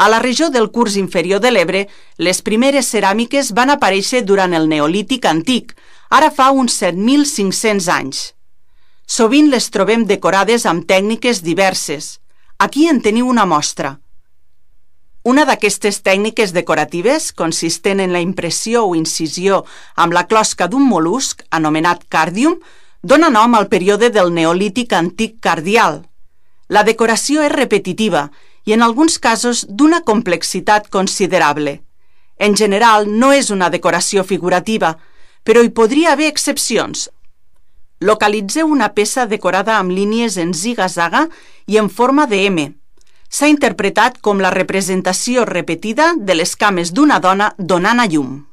A la regió del curs inferior de l'Ebre, les primeres ceràmiques van aparèixer durant el Neolític antic, ara fa uns 7.500 anys. Sovint les trobem decorades amb tècniques diverses. Aquí en teniu una mostra. Una d'aquestes tècniques decoratives, consistent en la impressió o incisió amb la closca d'un mol·lusc, anomenat càrdium, dona nom al període del Neolític antic cardial. La decoració és repetitiva i en alguns casos d'una complexitat considerable. En general no és una decoració figurativa, però hi podria haver excepcions. Localitzeu una peça decorada amb línies en ziga-zaga i en forma de M. S'ha interpretat com la representació repetida de les cames d'una dona donant a llum.